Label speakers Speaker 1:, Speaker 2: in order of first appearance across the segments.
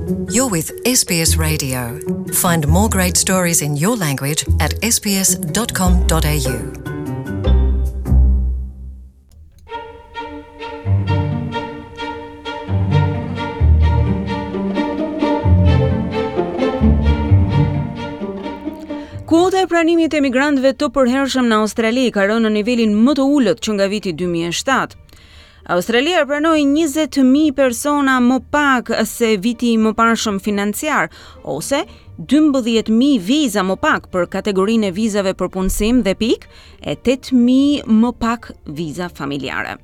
Speaker 1: You're with SBS Radio. Find more great stories in your language at sbs.com.au.
Speaker 2: Kuota e pranimit të emigrantëve të përhershëm në Australi ka rënë në nivelin më të ulët që nga viti 2007. Australia pranoi 20.000 persona më pak se viti i mëparshëm financiar, ose 12.000 viza më pak për kategorinë e vizave për punësim dhe pikë, e 8.000 më pak viza familjare.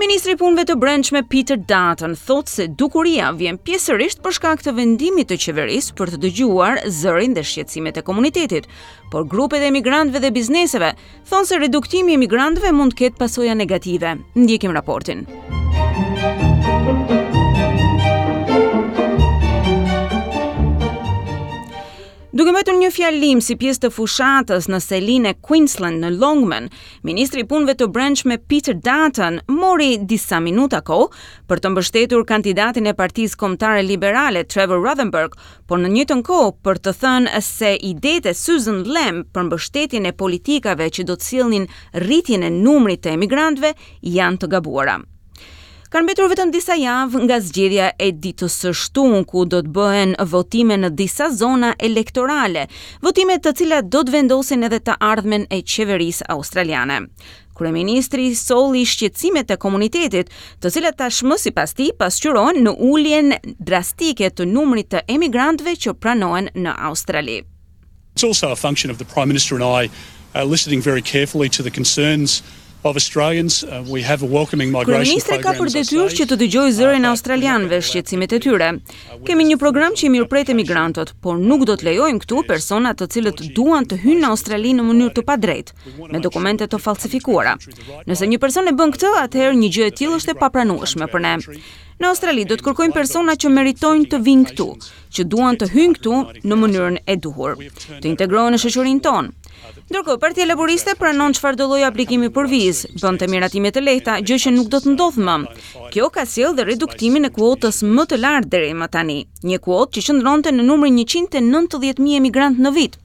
Speaker 2: Ministri i Punëve të Brendshme Peter Dutton thotë se dukuria vjen pjesërisht për shkak të vendimit të qeverisë për të dëgjuar zërin dhe shqetësimet e komunitetit, por grupet e emigrantëve dhe bizneseve thonë se reduktimi i emigrantëve mund të ketë pasoja negative. Ndjekim raportin. Duke mbajtur një fjalim si pjesë të fushatës në selinë e Queensland në Longman, ministri i Punëve të Brendshme Peter Dutton mori disa minuta kohë për të mbështetur kandidatin e Partisë Kombëtare Liberale Trevor Rothenberg, por në njëjtën kohë për të thënë se idetë e Susan Lamb për mbështetjen e politikave që do të sillnin rritjen e numrit të emigrantëve janë të gabuara. Kanë mbetur vetëm disa javë nga zgjedhja e ditës së shtunë, ku do të bëhen votime në disa zona elektorale, votime të cilat do të vendosin edhe të ardhmen e qeverisë australiane. Kryeministri solli shqetësimet e komunitetit, të cilat tashmë sipas tij pasqyrohen në uljen drastike të numrit të emigrantëve që pranohen në Australi.
Speaker 3: It's also a function of the Prime Minister and I uh, listening very carefully to the concerns of Australians. Uh, we have a welcoming migration
Speaker 2: Kryeministri ka për detyrë që të dëgjojë zërin e australianëve, shqetësimet e tyre. Kemi një program që i mirëpret emigrantët, por nuk do të lejojmë këtu persona të cilët duan të hyjnë në Australi në mënyrë të padrejtë, me dokumente të falsifikuara. Nëse një person e bën këtë, atëherë një gjë e tillë është e papranueshme për ne. Në Australi do të kërkojmë persona që meritojnë të vijnë këtu, që duan të hyjnë këtu në mënyrën e duhur, të integrohen në shoqërinë tonë. Ndërkohë, Partia Laboriste pranon çfarëdo lloj aplikimi për vizë, bënte miratime të lehta, gjë që nuk do të ndodhë më. Kjo ka sjellë dhe reduktimin e kuotës më të lartë deri më tani, një kuotë që qëndronte në numrin 190.000 emigrantë në vit.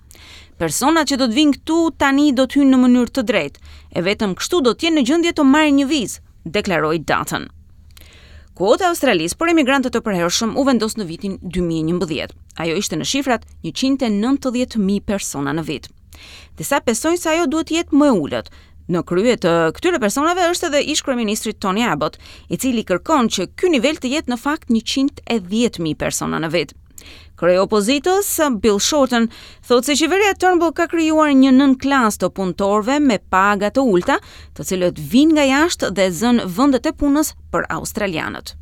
Speaker 2: Personat që do të vijnë këtu tani do të hyjnë në mënyrë të drejtë, e vetëm kështu do të jenë në gjendje të marrin një vizë, deklaroi Dutton. Kuota e Australisë për emigrantët e përhershëm u vendos në vitin 2011. Ajo ishte në shifrat 190.000 persona në vit. Disa besojnë se ajo duhet të jetë më e ulët. Në krye të këtyre personave është edhe ish-kryeministri Tony Abbott, i cili kërkon që ky nivel të jetë në fakt 110.000 persona në vit. Kreu i opozitës, Bill Shorten, thotë se qeveria Turnbull ka krijuar një nënklasë të punëtorëve me paga të ulëta, të cilët vijnë nga jashtë dhe zënë vendet e punës për australianët.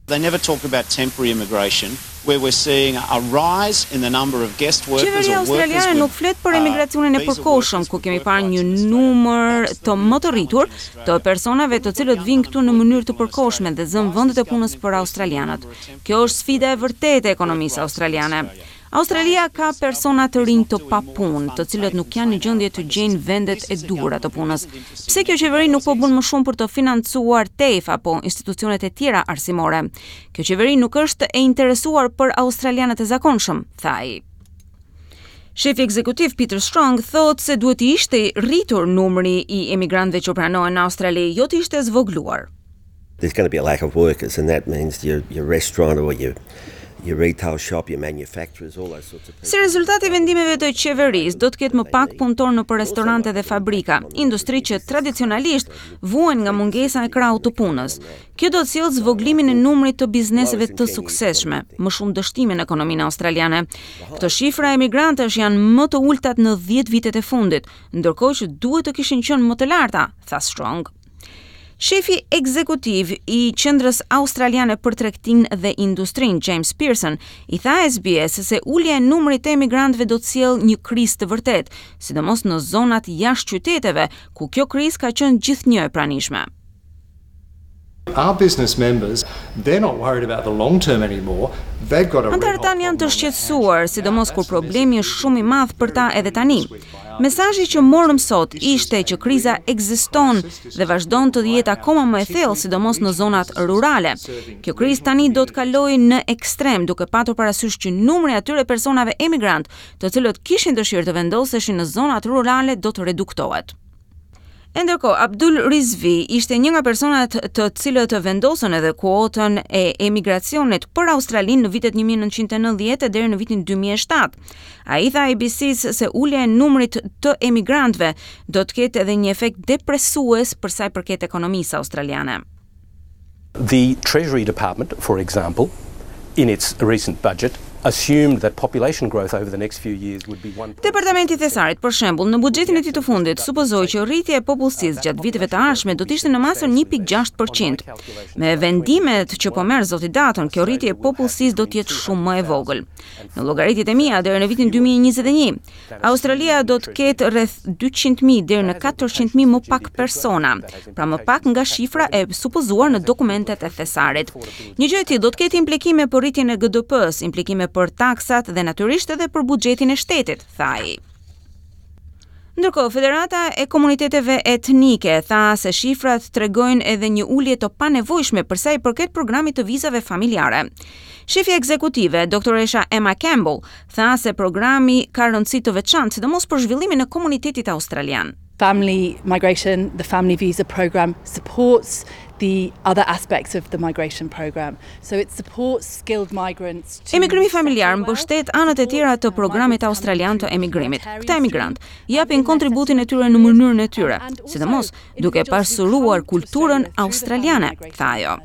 Speaker 4: They never talk about temporary immigration where we're seeing a rise in the number of guest workers
Speaker 2: Qeveria
Speaker 4: or workers
Speaker 2: australiane
Speaker 4: with
Speaker 2: nuk flet për emigracionin e
Speaker 4: visa
Speaker 2: përkohshëm,
Speaker 4: workers
Speaker 2: ku
Speaker 4: with
Speaker 2: kemi
Speaker 4: work
Speaker 2: parë
Speaker 4: rights
Speaker 2: një
Speaker 4: in Australia.
Speaker 2: numër të më të rritur të personave të cilët vijnë këtu në mënyrë të përkohshme dhe zënë vendet e punës për australianët. Kjo është sfida e vërtetë e ekonomisë australiane. Australia ka persona të rinj të papunë, të cilët nuk janë në gjendje të gjejnë vendet e duhura të punës. Pse kjo qeveri nuk po bën më shumë për të financuar TAFE apo institucionet e tjera arsimore? Kjo qeveri nuk është e interesuar për australianët e zakonshëm, tha ai. Shefi ekzekutiv Peter Strong thotë se duhet të ishte rritur numri i emigrantëve që pranohen në Australi, jo të ishte zvogëluar.
Speaker 5: There's going to be a lack of workers and that means your your restaurant or your your retail shop, your manufacturers, all those sorts of people.
Speaker 2: Si rezultat i vendimeve të qeverisë, do të ketë më pak punëtorë nëpër restorante dhe fabrika, industri që tradicionalisht vuajnë nga mungesa e krahut të punës. Kjo do të sjellë zvogëlimin e numrit të bizneseve të suksesshme, më shumë dështime në ekonominë australiane. Këto shifra emigrantësh janë më të ultat në 10 vitet e fundit, ndërkohë që duhet të kishin qenë më të larta, tha Strong. Shefi ekzekutiv i Qendrës Australiane për Tregtinë dhe Industrinë, James Pearson, i tha SBS se ulja e numrit të emigrantëve do të sjellë një krizë të vërtetë, sidomos në zonat jashtë qyteteve, ku kjo krizë ka qenë gjithnjë e pranishme. Our business members, they're not worried about the long term anymore. They've got a Anëtarët tanë janë të shqetësuar, sidomos kur problemi është shumë i madh për ta edhe tani. Mesazhi që morëm sot ishte që kriza ekziston dhe vazhdon të jetë akoma më e thellë, sidomos në zonat rurale. Kjo krizë tani do të kalojë në ekstrem, duke patur parasysh që numri i atyre personave emigrantë, të cilët kishin dëshirë të vendoseshin në zonat rurale do të reduktohet. E ndërkohë, Abdul Rizvi ishte një nga personat të cilët vendosën edhe kuotën e emigracionit për Australinë në vitet 1990 deri në vitin 2007. Ai tha ABC-s se ulja e numrit të emigrantëve do të ketë edhe një efekt depresues për sa i përket ekonomisë australiane.
Speaker 6: The Treasury Department, for example, in its recent budget, assumed that population growth over the next few years would be
Speaker 2: 1. Departamenti i Thesarit, për shembull, në buxhetin e tij të fundit supozoi që rritja e popullsisë gjatë viteve të ardhshme do të ishte në masën 1.6%. Me vendimet që po merr zoti Dutton, kjo rritje e popullsisë do të jetë shumë më e vogël. Në llogaritjet e mia deri në vitin 2021, Australia do të ketë rreth 200.000 deri në 400.000 më pak persona, pra më pak nga shifra e supozuar në dokumentet e thesarit. Një gjë e tillë do të ketë implikime për rritjen e GDP-së, implikime për taksat dhe natyrisht edhe për buxhetin e shtetit, tha ai. Ndërkohë, Federata e Komuniteteve Etnike tha se shifrat tregojnë edhe një ulje të panevojshme për sa i përket programit të vizave familjare. Shefja ekzekutive, doktoresha Emma Campbell, tha se programi ka rëndësi të veçantë, sidomos për zhvillimin e komunitetit australian.
Speaker 7: Family migration, the family visa program supports the other aspects of the migration program. So it supports skilled migrants
Speaker 2: to Emigrimi familjar mbështet anët e tjera të programit australian të emigrimit. Këta emigrantë japin kontributin e tyre në mënyrën e tyre, sidomos duke pasuruar kulturën australiane, tha ajo.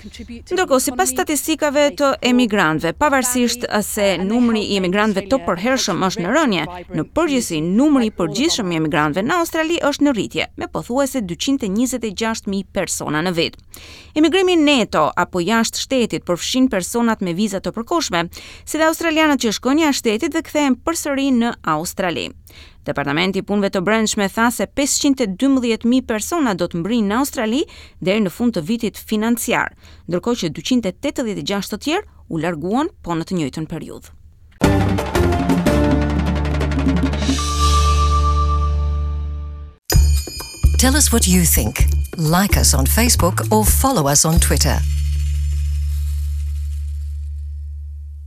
Speaker 2: Ndërkohë, sipas statistikave të emigrantëve, pavarësisht se numri i emigrantëve të përhershëm është në rënie, në përgjithësi numri i përgjithshëm i emigrantëve në Australi është në rritje, me pothuajse 226.000 persona në vit. Emigrimi neto apo jashtë shtetit përfshin personat me viza të përkohshme, si dhe australianët që shkojnë jashtë shtetit dhe kthehen përsëri në Australi. Departamenti i Punëve të Brendshme tha se 512.000 persona do të mbrijnë në Australi deri në fund të vitit financiar, ndërkohë që 286 të tjerë u larguan po në të njëjtën periudhë.
Speaker 1: Tell us what you think. Like us on Facebook or follow us on Twitter.